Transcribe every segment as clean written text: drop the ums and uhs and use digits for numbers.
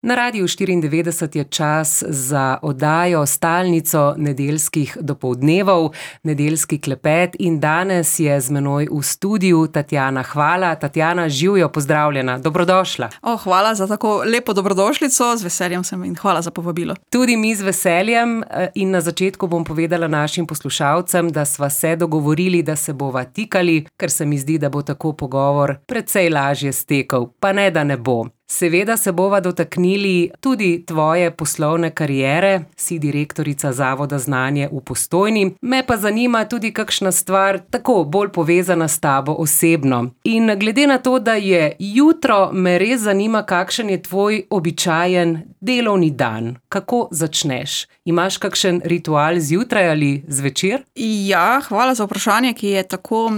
Na Radiu 94 je čas za oddajo stalnico nedeljskih dopoldnevov, nedeljski klepet in danes je z menoj v studiu Tatjana Hvala. Tatjana, živjo, pozdravljena, dobrodošla. Hvala za tako lepo dobrodošlico, z veseljem sem in hvala za povabilo. Tudi mi z veseljem in na začetku bom povedala našim poslušalcem, da sva se dogovorili, da se bova tikali, ker se mi zdi, da bo tako pogovor precej lažje stekel, pa ne da ne bo. Seveda se bova dotaknili tudi tvoje poslovne kariere, si direktorica Zavoda Znanje v Postojni, me pa zanima tudi kakšna stvar tako bolj povezana s tabo osebno. In glede na to, da je jutro, me res zanima, kakšen je tvoj običajen delovni dan. Kako začneš? Imaš kakšen ritual zjutraj ali zvečer? Ja, hvala za vprašanje, ki je tako...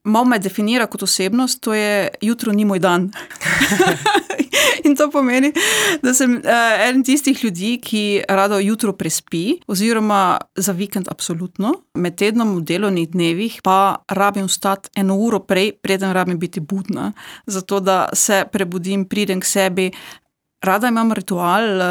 Malo me definira kot osebnost, to je jutro ni moj dan. In to pomeni, da sem eden tistih ljudi, ki rado jutro prespi, oziroma za vikend absolutno. Med tednom v delovnih dnevih pa rabim vstati 1 uro prej, preden rabim biti budna. Zato, da se prebudim, pridem k sebi. Rada imam ritual,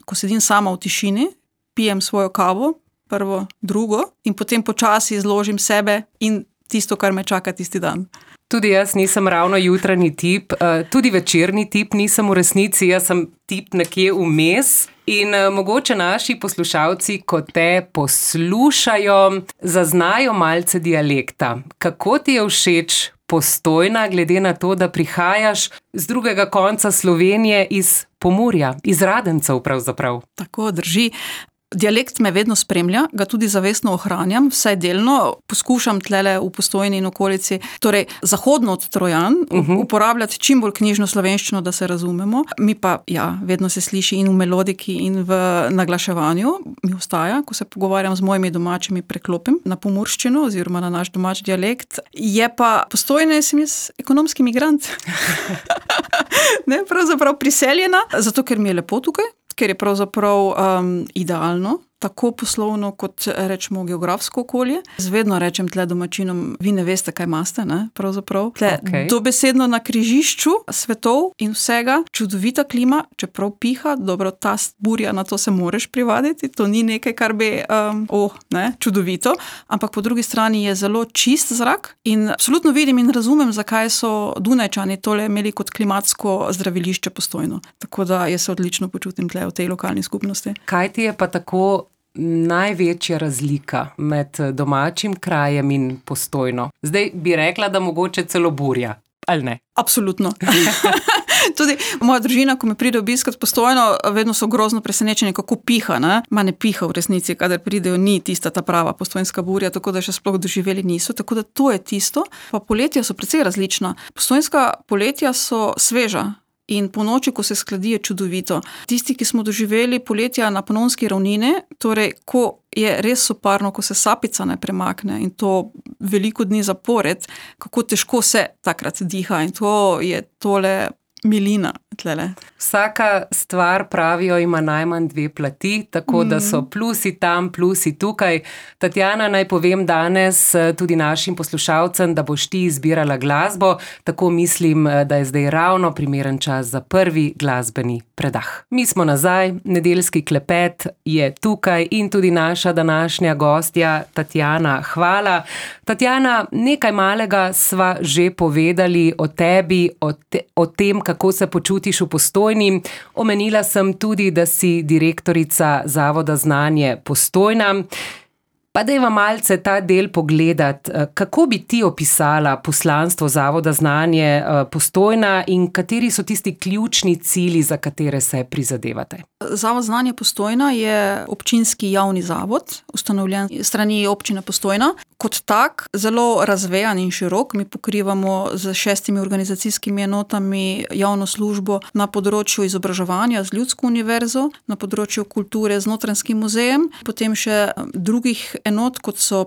ko sedim sama v tišini, pijem svojo kavo, prvo, drugo, in potem počasi izložim sebe in tisto, kar me čaka tisti dan. Tudi jaz nisem ravno jutranji tip, tudi večerni tip nisem v resnici, jaz sem tip nekje vmes in mogoče naši poslušalci, ko te poslušajo, zaznajo malce dialekta. Kako ti je všeč Postojna, glede na to, da prihajaš z drugega konca Slovenije iz Pomurja, iz Radencev pravzaprav? Tako drži. Dialekt me vedno spremlja, ga tudi zavestno ohranjam, vsaj delno, poskušam tlele v Postojni in okolici, torej zahodno od Trojan, uporabljati čim bolj knjižno slovenščino, da se razumemo. Mi pa, ja, vedno se sliši in v melodiki in v naglaševanju, mi ostaja, ko se pogovarjam z mojimi domačimi, preklopim na pomurščino oziroma na naš domač dialekt. Je pa Postojna, sem jaz ekonomski migrant. Ne, pravzaprav priseljena, zato ker mi je lepo tukaj, ker je pravzaprav idealno, tako poslovno kot rečemo geografsko okolje. Zvedno rečem tle domačinom, vi ne veste, kaj imate, ne, pravzaprav. Tle dobesedno na križišču svetov in vsega, čudovita klima, čeprav piha, dobro, ta burja, na to se moreš privaditi, to ni nekaj, kar bi, čudovito, ampak po drugi strani je zelo čist zrak in absolutno vidim in razumem, zakaj so Dunajčani tole imeli kot klimatsko zdravilišče Postojno. Tako da jaz se odlično počutim tle v tej lokalni skupnosti. Kaj ti je pa tako največja razlika med domačim krajem in Postojno? Zdaj bi rekla, da mogoče celo burja, ali ne? Absolutno. Tudi moja družina, ko me pride obiskat Postojno, vedno so grozno presenečeni, kako piha, ne? Ma ne piha v resnici, kadar pridejo, ni tista ta prava postojnska burja, tako da še sploh doživeli niso, tako da to je tisto. Pa poletja so precej različna. Postojnska poletja so sveža. In po noči, ko se skladi, je čudovito. Tisti, ki smo doživeli poletja na Panonski ravnini, torej, ko je res soparno, ko se sapica ne premakne in to veliko dni zapored, kako težko se takrat diha in to je tole milina tlele. Vsaka stvar, pravijo, ima najmanj 2 plati, tako da so plusi tam, plusi tukaj. Tatjana, naj povem danes tudi našim poslušalcem, da boš ti izbirala glasbo, tako mislim, da je zdaj ravno primeren čas za prvi glasbeni predah. Mi smo nazaj, nedeljski klepet je tukaj in tudi naša današnja gostja Tatjana Hvala. Tatjana, nekaj malega sva že povedali o tebi, o tem, kako se počutiš v Postojni. Omenila sem tudi, da si direktorica Zavoda Znanje Postojna. Pa dajva malce ta del pogledati. Kako bi ti opisala poslanstvo Zavoda Znanje Postojna in kateri so tisti ključni cilji, za katere se prizadevate? Zavod Znanje Postojna je občinski javni zavod, ustanovljen strani občine Postojna. Kot tak, zelo razvejan in širok, mi pokrivamo z 6 organizacijskimi enotami javno službo na področju izobraževanja z Ljudsko univerzo, na področju kulture z Notranjskim muzejem, potem še drugih enot, kot so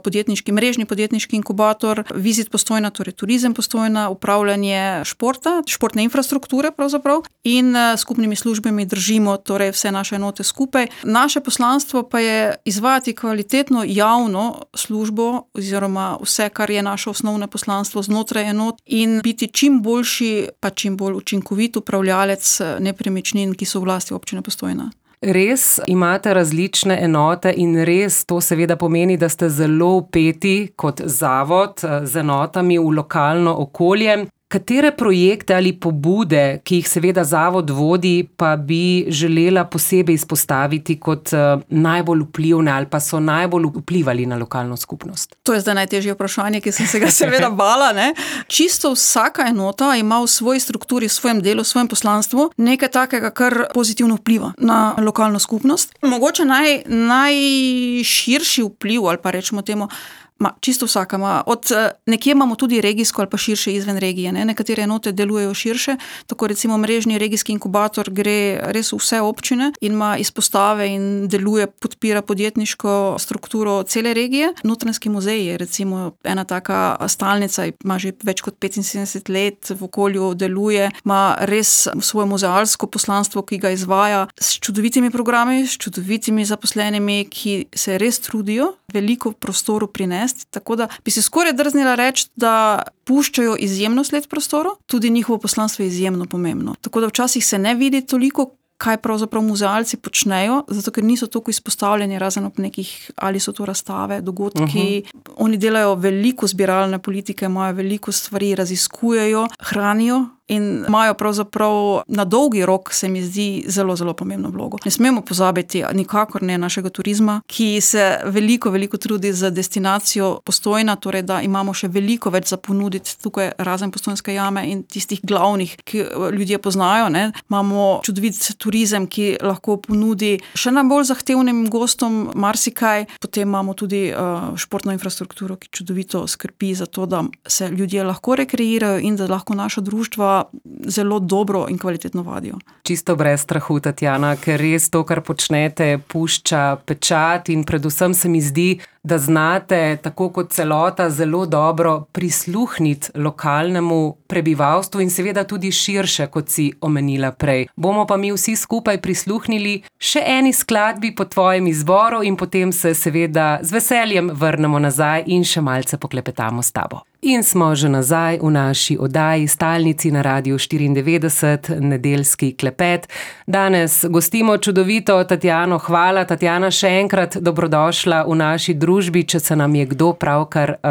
mrežni podjetniški inkubator, Vizit Postojna, torej turizem Postojna, upravljanje športa, športne infrastrukture pravzaprav in skupnimi službami držimo torej vse naše enote skupaj. Naše poslanstvo pa je izvajati kvalitetno javno službo oziroma vse, kar je naše osnovno poslanstvo znotraj enot in biti čim boljši, pa čim bolj učinkovit upravljalec nepremičnin, ki so v lasti občine Postojna. Res imate različne enote in res to seveda pomeni, da ste zelo vpeti kot zavod z enotami v lokalno okolje. Katere projekte ali pobude, ki jih seveda zavod vodi, pa bi želela posebej izpostaviti kot najbolj vplivne ali pa so najbolj vplivali na lokalno skupnost? To je zdaj najtežje vprašanje, ki sem se ga seveda bala. Ne? Čisto vsaka enota ima v svoji strukturi, v svojem delu, v svojem poslanstvu nekaj takega, kar pozitivno vpliva na lokalno skupnost. Mogoče najširši vpliv, ali pa rečemo temu, čisto vsaka ima. Nekje imamo tudi regijsko ali pa širše izven regije. Ne? Nekatere enote delujejo širše, tako recimo mrežni regijski inkubator gre res v vse občine in ima izpostave in deluje, podpira podjetniško strukturo cele regije. Notranjski muzej je recimo ena taka stalnica, ima že več kot 75 let v okolju, deluje, ima res svoje muzealsko poslanstvo, ki ga izvaja s čudovitimi programi, s čudovitimi zaposlenimi, ki se res trudijo veliko prostoru prinesti. Tako da bi se skoraj drznila reči, da puščajo izjemno sled prostoru, tudi njihovo poslanstvo je izjemno pomembno. Tako da včasih se ne vidi toliko, kaj pravzaprav muzealci počnejo, zato ker niso toliko izpostavljeni, razen ob nekih, ali so to razstave, dogodki. Oni delajo veliko zbiralne politike, imajo veliko stvari, raziskujejo, hranijo in imajo pravzaprav na dolgi rok, se mi zdi, zelo, zelo pomembno vlogo. Ne smemo pozabiti nikakor ne našega turizma, ki se veliko trudi za destinacijo Postojna, torej da imamo še veliko več za ponuditi tukaj razen Postojnske jame in tistih glavnih, ki ljudje poznajo. Ne. Imamo čudovit turizem, ki lahko ponudi še najbolj zahtevnim gostom marsikaj. Potem imamo tudi športno infrastrukturo, ki čudovito skrbi za to, da se ljudje lahko rekreirajo in da lahko naša društva zelo dobro in kvalitetno vadijo. Čisto brez strahu, Tatjana, ker res to, kar počnete, pušča pečat in predvsem se mi zdi, da znate tako kot celota zelo dobro prisluhniti lokalnemu prebivalstvu in seveda tudi širše, kot si omenila prej. Bomo pa mi vsi skupaj prisluhnili še eni skladbi po tvojem izboru in potem se seveda z veseljem vrnemo nazaj in še malce poklepetamo s tabo. In smo že nazaj v naši oddaji Stalnici na Radiu 94, nedeljski klepet. Danes gostimo čudovito Tatjano. Hvala, Tatjana, še enkrat dobrodošla v naši družbi, če se nam je kdo pravkar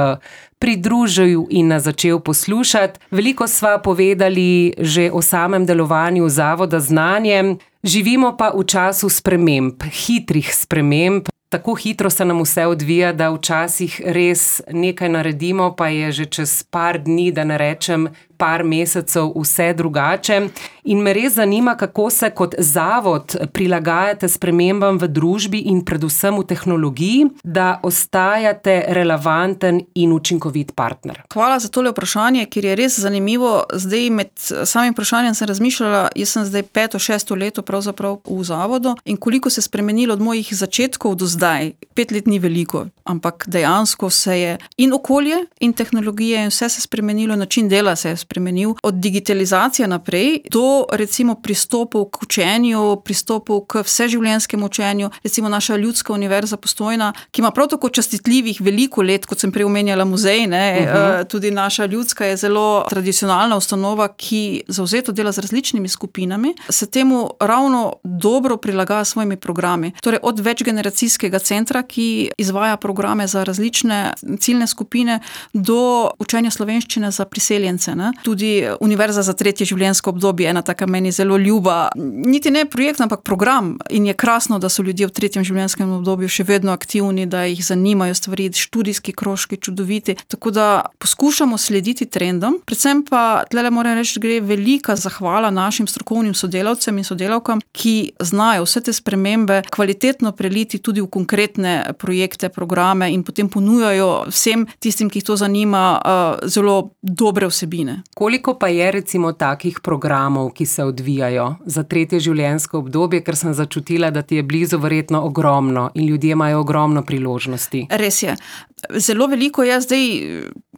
pridružil in nas začel poslušati. Veliko sva povedali že o samem delovanju Zavoda Znanje. Živimo pa v času sprememb, hitrih sprememb. Tako hitro se nam vse odvija, da včasih res nekaj naredimo, pa je že čez par dni, da ne rečem par mesecev, vse drugače. In me res zanima, kako se kot zavod prilagajate spremembam v družbi in predvsem v tehnologiji, da ostajate relevanten in učinkovit partner. Hvala za tole vprašanje, ker je res zanimivo. Zdaj med samim vprašanjem sem razmišljala, jaz sem zdaj 5-6 leto pravzaprav v zavodu in koliko se je spremenilo od mojih začetkov do zdaj. 5 let ni veliko, ampak dejansko se je in okolje in tehnologije in vse se spremenilo, način dela se je spremenil. Od digitalizacije naprej do recimo pristopov k učenju, pristopov k vseživljenjskemu učenju. Recimo naša Ljudska univerza Postojna, ki ima prav tako častitljivih veliko let, kot sem prej omenjala muzej, tudi naša Ljudska je zelo tradicionalna ustanova, ki zavzeto dela z različnimi skupinami, se temu ravno dobro prilagaja svojimi programi. Torej od večgeneracijskega centra, ki izvaja programe za različne ciljne skupine, do učenja slovenščine za priseljence. Ne? Tudi Univerza za tretje življenjsko obdobje, ena taka meni zelo ljuba, niti ne projekt, ampak program. In je krasno, da so ljudje v tretjem življenjskem obdobju še vedno aktivni, da jih zanimajo stvari, študijski krožki, čudoviti. Tako da poskušamo slediti trendom. Predvsem pa, tlele moram reči, gre velika zahvala našim strokovnim sodelavcem in sodelavkam, ki znajo vse te spremembe kvalitetno preliti tudi v konkretne projekte, programe in potem ponujajo vsem tistim, ki jih to zanima, zelo dobre vsebine. Koliko pa je recimo takih programov, ki se odvijajo za tretje življenjsko obdobje, ker sem začutila, da ti je blizu verjetno ogromno in ljudje imajo ogromno priložnosti? Res je. Zelo veliko je zdaj,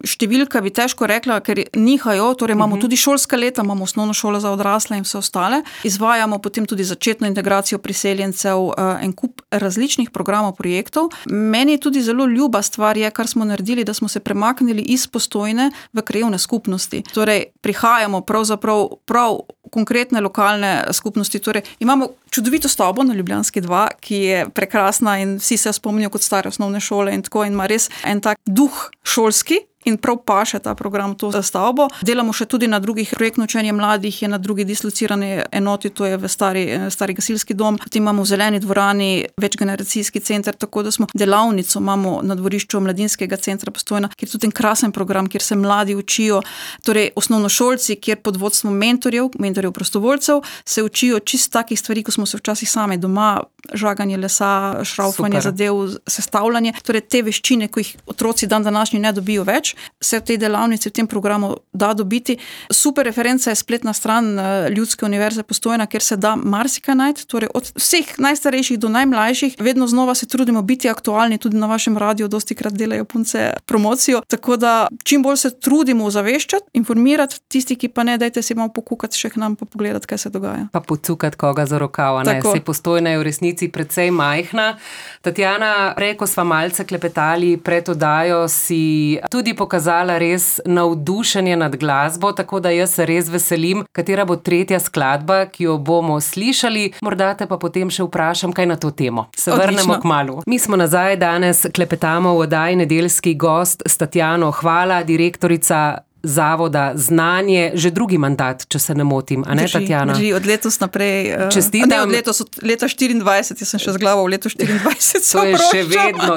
številka bi težko rekla, ker nihajo, torej imamo tudi šolska leta, imamo osnovno šolo za odrasle in vse ostale. Izvajamo potem tudi začetno integracijo priseljencev, en kup različnih programov, projektov. Meni je tudi zelo ljuba stvar je, kar smo naredili, da smo se premaknili iz Postojne v krajevne skupnosti. Torej, prihajamo pravzaprav prav konkretne lokalne skupnosti. Torej, imamo čudovito stavbo na Ljubljanski 2, ki je prekrasna in vsi se spomnijo kot stare osnovne šole in tako in ima res en tak duh šolski. In prav paše ta program to stavbo. Delamo še tudi na drugih, projektno učenje mladih je na drugi dislocirani enoti, to je v stari gasilski dom. Potem imamo v zeleni dvorani večgeneracijski center, tako da smo delavnico imamo na dvorišču Mladinskega centra Postojna, kjer je tudi en krasen program, kjer se mladi učijo, torej osnovnošolci, kjer pod vodstvom mentorjev prostovoljcev, se učijo čist takih stvari, ko smo se včasih sami doma, žaganje lesa, šraufanje zadev, sestavljanje, torej te veščine, ko jih otroci dan današnji ne dobijo več, se v tej delavnici, v tem programu da dobiti. Super referenca je spletna stran Ljudske univerze Postojna, kjer se da marsikaj najti, torej od vseh najstarejših do najmlajših. Vedno znova se trudimo biti aktualni, tudi na vašem radiju dostikrat delajo punce promocijo, tako da čim bolj se trudimo ozaveščati, informirati, tisti, ki pa ne, dajte si malo pokukati še k nam pa pogledati, kaj se dogaja. Pa pocukati koga za rokav, ne? Saj Postojna je v resnici precej majhna. Tatjana, prej, ko sva malce klepetali pred oddajo, si tudi pokazala res navdušenje nad glasbo, tako da jaz se res veselim, katera bo tretja skladba, ki jo bomo slišali. Morda te pa potem še vprašam, kaj na to temo. Se vrnemo kmalu. Mi smo nazaj, danes klepetamo v oddaji Nedeljski gost s Tatjano Hvala, direktorica Zavoda Znanje, že drugi mandat, če se ne motim, a ne, Tatjana? Drži, od letos naprej. Čestitam. Ne, od leta 24, jaz sem še z glavo v letu 24.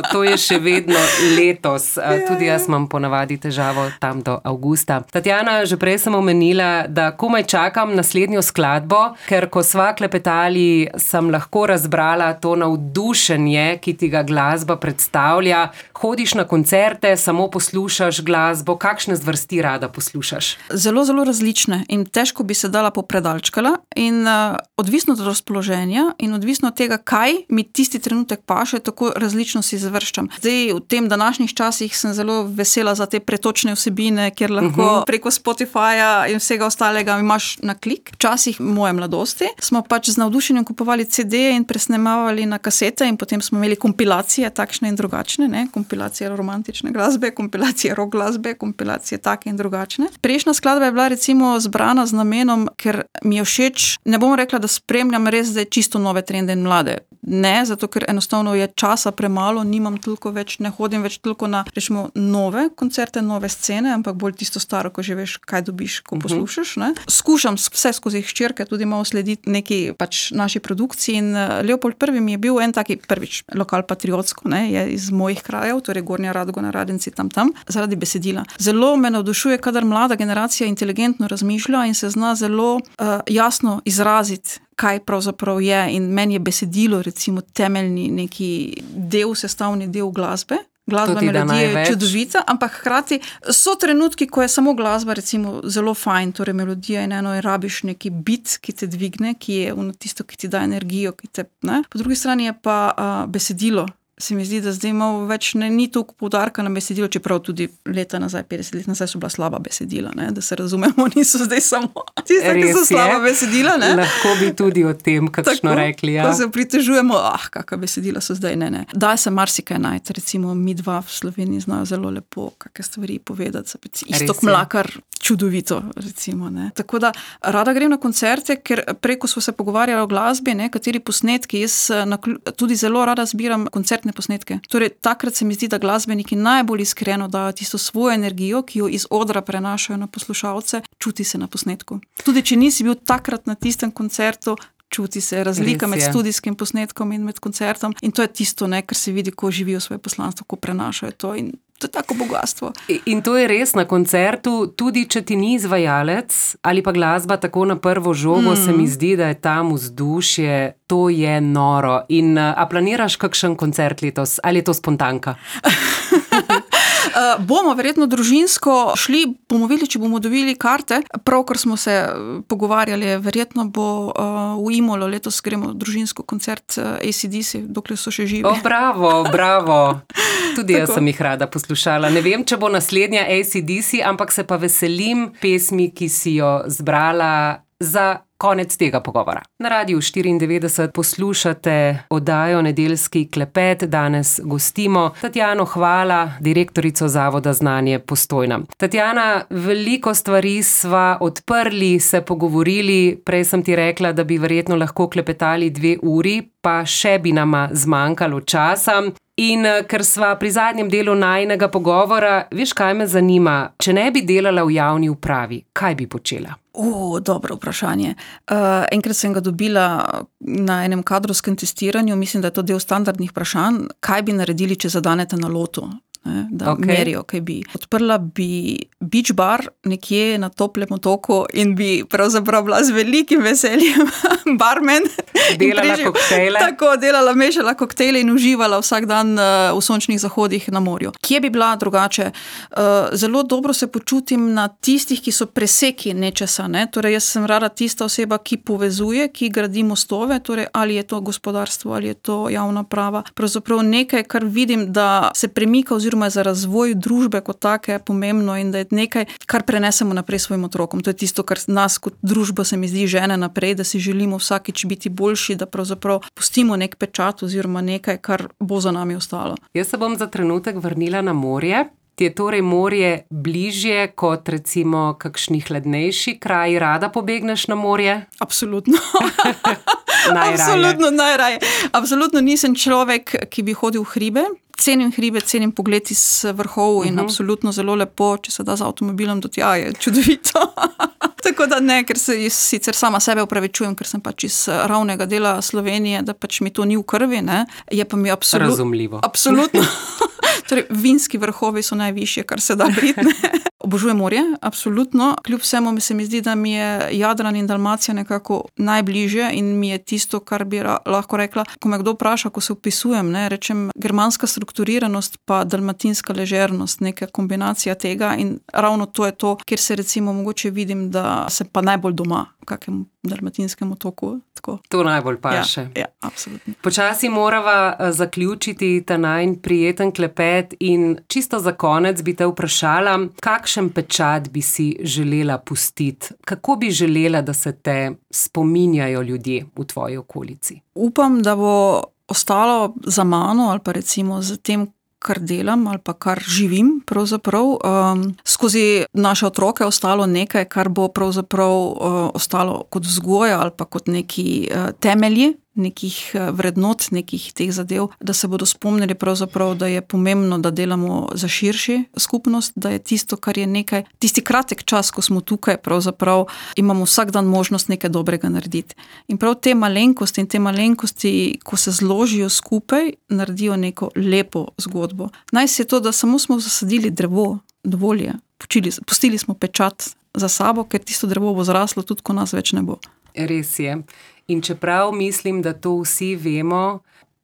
To je še vedno letos. Tudi jaz imam ponavadi težavo tam do avgusta. Tatjana, že prej sem omenila, da komaj čakam naslednjo skladbo, ker ko sva klepetali, sem lahko razbrala to navdušenje, ki ti ga glasba predstavlja. Hodiš na koncerte, samo poslušaš glasbo, kakšne zvrsti da poslušaš? Zelo, zelo različne in težko bi se dala popredalčkala in odvisno od razpoloženja in odvisno od tega, kaj mi tisti trenutek paše, tako različno si završčam. Zdaj, v tem današnjih časih sem zelo vesela za te pretočne vsebine, kjer lahko preko Spotifyja in vsega ostalega imaš na klik. Včasih moje mladosti smo pač z navdušenjem kupovali CD-je in presnemavali na kasete in potem smo imeli kompilacije takšne in drugačne, ne? Kompilacije romantične glasbe, kompilacije rock glasbe, kompilacije take in drugačne. Prejšnja skladba je bila recimo zbrana z namenom, ker mi je všeč, ne bom rekla, da spremljam res zdaj čisto nove trende in mlade. Ne, zato ker enostavno je časa premalo, nimam toliko več, ne hodim več toliko na, rečemo, nove koncerte, nove scene, ampak bolj tisto staro, ko že veš, kaj dobiš, ko poslušaš, ne. Skušam vse skozi hčerke tudi malo slediti neki pač naši produkciji in Leopold I mi je bil en taki prvič lokal patriotsko, ne, je iz mojih krajev, torej Gornja Radgona, Radenci tam, zaradi besedila. Zelo me navdušuje, kadar mlada generacija inteligentno razmišlja in se zna zelo jasno izraziti, kaj pravzaprav je, in meni je besedilo recimo temeljni neki del, sestavni del glasbe. Glasba, melodija je čudovita, ampak hkrati so trenutki, ko je samo glasba recimo zelo fajn, torej melodija in eno in rabiš neki bit, ki te dvigne, ki je tisto, ki ti da energijo, ki te, ne. Po drugi strani je pa besedilo. Se mi zdi, da zdaj malo več ni toliko poudarka na besedilo, čeprav tudi leta nazaj, 50 let nazaj so bila slaba besedila, ne? Da se razumemo, niso zdaj samo tiste, ki so slaba besedila. Ne? Lahko bi tudi o tem kakšno rekli. Ja. Ko se pritežujemo, kakva besedila so zdaj, ne. Da se marsikaj najti, recimo mi dva v Sloveniji znajo zelo lepo kakšne stvari povedati, Iztok Mlakar, čudovito, recimo. Ne? Tako da rada grem na koncerte, ker preko smo se pogovarjali o glasbi, ne, kateri posnetki, jaz tudi zelo rada zbiram koncertne posnetke. Torej, takrat se mi zdi, da glasbeniki najbolj iskreno dajo tisto svojo energijo, ki jo iz odra prenašajo na poslušalce, čuti se na posnetku. Tudi, če nisi bil takrat na tistem koncertu, čuti se razlika med studijskim posnetkom in med koncertom in to je tisto, ne, kar se vidi, ko živijo svoje poslanstvo, ko prenašajo to in to je tako bogatstvo. In to je res na koncertu, tudi če ti ni izvajalec ali pa glasba tako na prvo žogo, se mi zdi, da je tam vzdušje, to je noro. In a planiraš kakšen koncert letos? Ali je to spontanka? Bomo verjetno družinsko šli, bomo videli, če bomo dobili karte. Pravkar smo se pogovarjali, verjetno bo v Imolo letos gremo družinsko koncert AC/DC, dokler so še živi. Bravo. Tudi jaz sem jih rada poslušala. Ne vem, če bo naslednja AC/DC, ampak se pa veselim pesmi, ki si jo zbrala za konec tega pogovora. Na Radiu 94 poslušate oddajo Nedeljski klepet. Danes gostimo Tatjano Hvala, direktorico Zavoda Znanje Postojna. Tatjana, veliko stvari sva odprli, se pogovorili. Prej sem ti rekla, da bi verjetno lahko klepetali 2 uri, pa še bi nama zmanjkalo časa. In ker sva pri zadnjem delu najinega pogovora, veš, kaj me zanima? Če ne bi delala v javni upravi, kaj bi počela? Dobro vprašanje. Enkrat sem ga dobila na enem kadrovskem testiranju, mislim, da je to del standardnih vprašanj, kaj bi naredili, če zadanete na lotu, da merijo, kaj bi. Odprla bi beach bar nekje na toplem otoku in bi pravzaprav bila z velikim veseljem barmen. Delala koktejle. Tako, mešala koktejle in uživala vsak dan v sončnih zahodih na morju. Kje bi bila drugače? Zelo dobro se počutim na tistih, ki so preseki nečesa. Torej, jaz sem rada tista oseba, ki povezuje, ki gradi mostove, torej ali je to gospodarstvo, ali je to javna prava. Pravzaprav nekaj, kar vidim, da se premika oziroma za razvoj družbe kot take pomembno in da je nekaj, kar prenesemo naprej svojim otrokom. To je tisto, kar nas kot družba se mi zdi žene naprej, da si želimo vsakič biti boljši, da pravzaprav pustimo nek pečat oziroma nekaj, kar bo za nami ostalo. Jaz se bom za trenutek vrnila na morje. Ti je torej morje bližje kot recimo kakšni hladnejši kraji? Rada pobegneš na morje? Absolutno. Najraje. Absolutno nisem človek, ki bi hodil v hribe. Cenim hribe, cenim pogled iz vrhov in absolutno zelo lepo, če se da z avtomobilom do tja, je čudovito. Tako da ne, ker se sicer sama sebe opravičujem, ker sem pač iz ravnega dela Slovenije, da pač mi to ni v krvi, je pa mi razumljivo. Absolutno. Torej, vinski vrhovi so najvišje, kar se da biti. Obožujem morje, absolutno. Kljub vsemu se mi zdi, da mi je Jadran in Dalmacija nekako najbližje in mi je tisto, kar bi lahko rekla, ko me kdo vpraša, ko se opisujem, rečem germanska strukturiranost pa dalmatinska ležernost, neka kombinacija tega in ravno to je to, kjer se recimo mogoče vidim, da se pa najbolj doma v kakem dalmatinskem otoku. Tako. To najbolj paše. Ja, absolutno. Počasi morava zaključiti ta najin prijeten klepet in čisto za konec bi te vprašala, kakšen pečat bi si želela pustiti? Kako bi želela, da se te spominjajo ljudje v tvoji okolici? Upam, da bo ostalo za mano ali pa recimo za tem, kar delam ali pa kar živim pravzaprav, skozi naše otroke ostalo nekaj, kar bo pravzaprav ostalo kot vzgoja ali pa kot neki temelji nekih vrednot, nekih teh zadev, da se bodo spomnili pravzaprav, da je pomembno, da delamo za širši skupnost, da je tisto, kar je nekaj, tisti kratek čas, ko smo tukaj, pravzaprav imamo vsak dan možnost nekaj dobrega narediti. In prav te malenkosti, ko se zložijo skupaj, naredijo neko lepo zgodbo. Naj se je to, da samo smo zasadili drevo, dovolj je. Pustili smo pečat za sabo, ker tisto drevo bo zraslo tudi, ko nas več ne bo. Res je. In čeprav mislim, da to vsi vemo,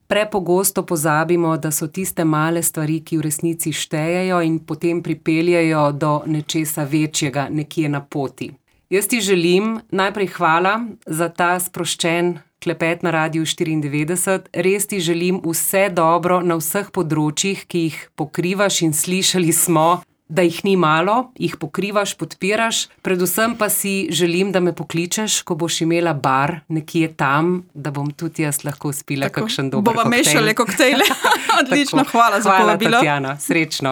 prepogosto pozabimo, da so tiste male stvari, ki v resnici štejejo in potem pripeljajo do nečesa večjega nekje na poti. Jaz ti želim najprej hvala za ta sproščen klepet na Radiu 94. Res ti želim vse dobro na vseh področjih, ki jih pokrivaš in slišali smo, da jih ni malo, jih pokrivaš, podpiraš. Predvsem pa si želim, da me pokličeš, ko boš imela bar nekje tam, da bom tudi jaz lahko spila kakšen dober koktejl. Bova mešali koktejle. Odlično, hvala za povabilo. Hvala, Tatjana. Srečno.